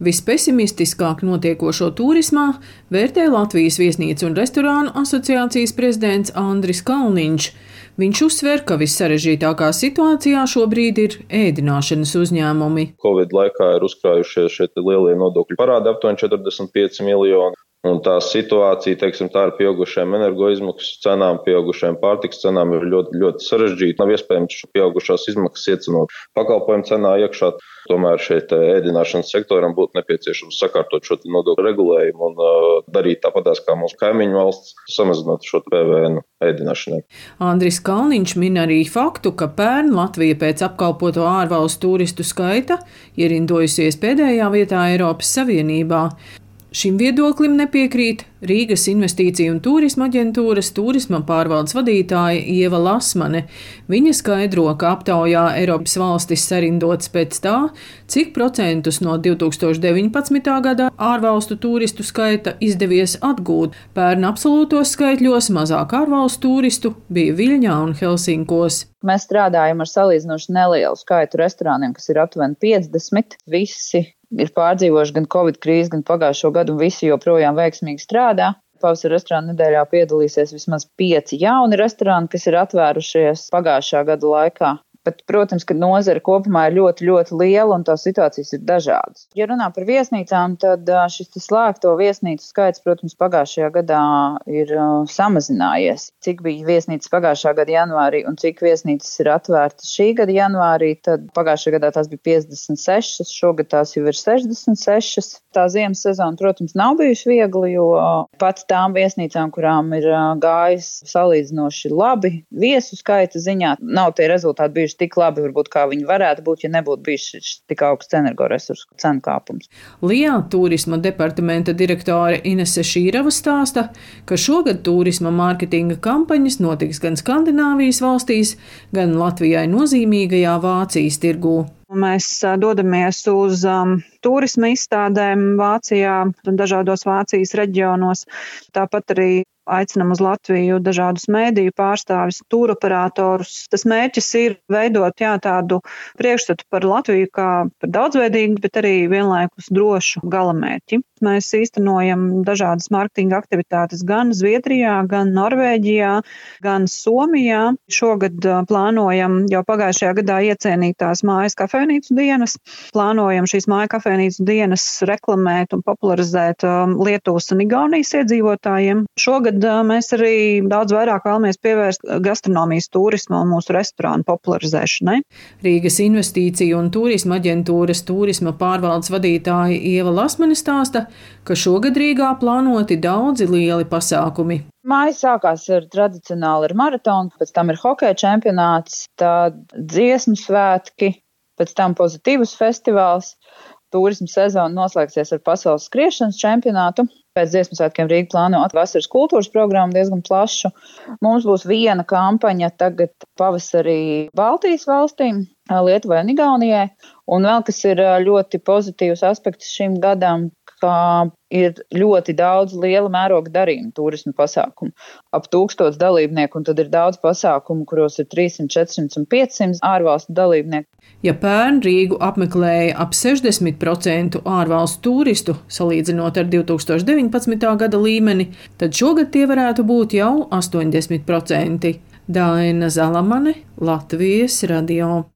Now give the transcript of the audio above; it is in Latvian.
Vispesimistiskāk notiekošo turismā vērtē Latvijas viesnīcu un restorānu asociācijas prezidents Andris Kalniņš. Viņš uzsver, ka vissarežģītākā situācijā šobrīd ir ēdināšanas uzņēmumi. Covid laikā ir uzkrājušies šie lielie nodokļu parādi aptuveni 45 miljoni. Un tā situācija, tā ar pieaugušajām energoizmaksu cenām, pieaugušajām pārtikas cenām ir ļoti, ļoti sarežģīta. Nav iespējams šo pieaugušās izmaksas iecenot pakalpojumu cenā iekšā. Tomēr šeit ēdināšanas sektoram būtu nepieciešams sakārtot šo nodokļu regulējumu un darīt tāpatās kā mūsu kaimiņu valsts, samazinot šo PVN ēdināšanai. Andris Kalniņš min arī faktu, ka pērn Latvija pēc apkalpoto ārvalstu turistu skaita ierindojusies pēdējā vietā Eiropas Savienībā. Šim viedoklim nepiekrīt Rīgas Investīciju un turisma aģentūras turisma pārvaldes vadītāja Ieva Lasmane. Viņa skaidro, ka aptaujā Eiropas valstis sarindotas pēc tā, cik procentus no 2019. gada ārvalstu turistu skaita izdevies atgūt. Pērn absolūtos skaitļos mazāk ārvalstu turistu bija Viļņā un Helsinkos. Mēs strādājam ar salīdzinoši nelielu skaitu restorāniem, kas ir aptuveni 50. Visi ir pārdzīvojuši gan Covid krīzi, gan pagājušo gadu, un visi joprojām veiksmīgi strādā. Pavasara restorāna nedēļā piedalīsies vismaz 5 jauni restorāni, kas ir atvērušies pagājušā gada laikā. Bet, protams, ka nozare kopumā ir ļoti, ļoti liela un tās situācijas ir dažādas. Ja runā par viesnīcām, tad šis slēgto viesnīcu skaits, protams, pagājušajā gadā ir samazinājies. Cik bija viesnīcas pagājušā gada janvārī un cik viesnīcas ir atvērtas šī gada janvārī, tad pagājušajā gadā tās bija 56, šogad tās jau ir 66. Tā ziemas sezona, protams, nav bijuši viegli, jo pat tām viesnīcām, kurām ir gājis salīdzinoši labi viesu skaita ziņā, nav tie rezultāti bijuši tik labi, varbūt, kā viņi varētu būt, ja nebūtu bijis tik augsts energoresursu cenu kāpums. Lijā turisma departamenta direktore Inese Šīrava stāsta, ka šogad turisma mārketinga kampaņas notiks gan Skandināvijas valstīs, gan Latvijai nozīmīgajā Vācijas tirgū. Mēs dodamies uz turisma izstādēm Vācijā un dažādos Vācijas reģionos. Tāpat arī aicinam uz Latviju dažādus mēdīju pārstāvis, tūroperatorus. Tas mērķis ir veidot tādu priekšstatu par Latviju kā par daudzveidīgu, bet arī vienlaikus drošu galamērķi. Mēs īstenojam dažādas mārketinga aktivitātes gan Zviedrijā, gan Norvēģijā, gan Somijā. Šogad plānojam jau pagājušajā gadā iecienītās mājas kafejnīcu dienas. Plānojam šīs māju kafejnīcu dienas reklamēt un popularizēt Lietuvas un Igaunijas iedzīvotājiem. Šogad mēs arī daudz vairāk vēlamies pievērst gastronomijas turismu un mūsu restorānu popularizēšanai. Rīgas Investīciju un turisma aģentūras turisma pārvaldes vadītāja Ieva Lasmane stāsta, ka šogad Rīgā plānoti daudzi lieli pasākumi. Māja sākās tradicionāli ar maratonu, pēc tam ir hokeja čempionāts, tad dziesmu svētki, pēc tam pozitīvs festivāls. Turisma sezona noslēgsies ar pasaules skriešanas čempionātu. Pēc dziesmu svētkiem Rīga plāno vasaras kultūras programmu diezgan plašu. Mums būs viena kampaņa tagad pavasarī Baltijas valstīm, Lietuvai un Igaunijai. Un vēl kas ir ļoti pozitīvs aspekts šim gadam, ka ir ļoti daudz liela mēroga darījumu turismu pasākumu. Ap 1000 dalībnieku, un tad ir daudz pasākumu, kuros ir 300, 400 un 500 ārvalstu dalībnieku. Ja pērn Rīgu apmeklēja ap 60% ārvalstu turistu, salīdzinot ar 2019. gada līmeni, tad šogad tie varētu būt jau 80%. Daina Zalamane, Latvijas radio.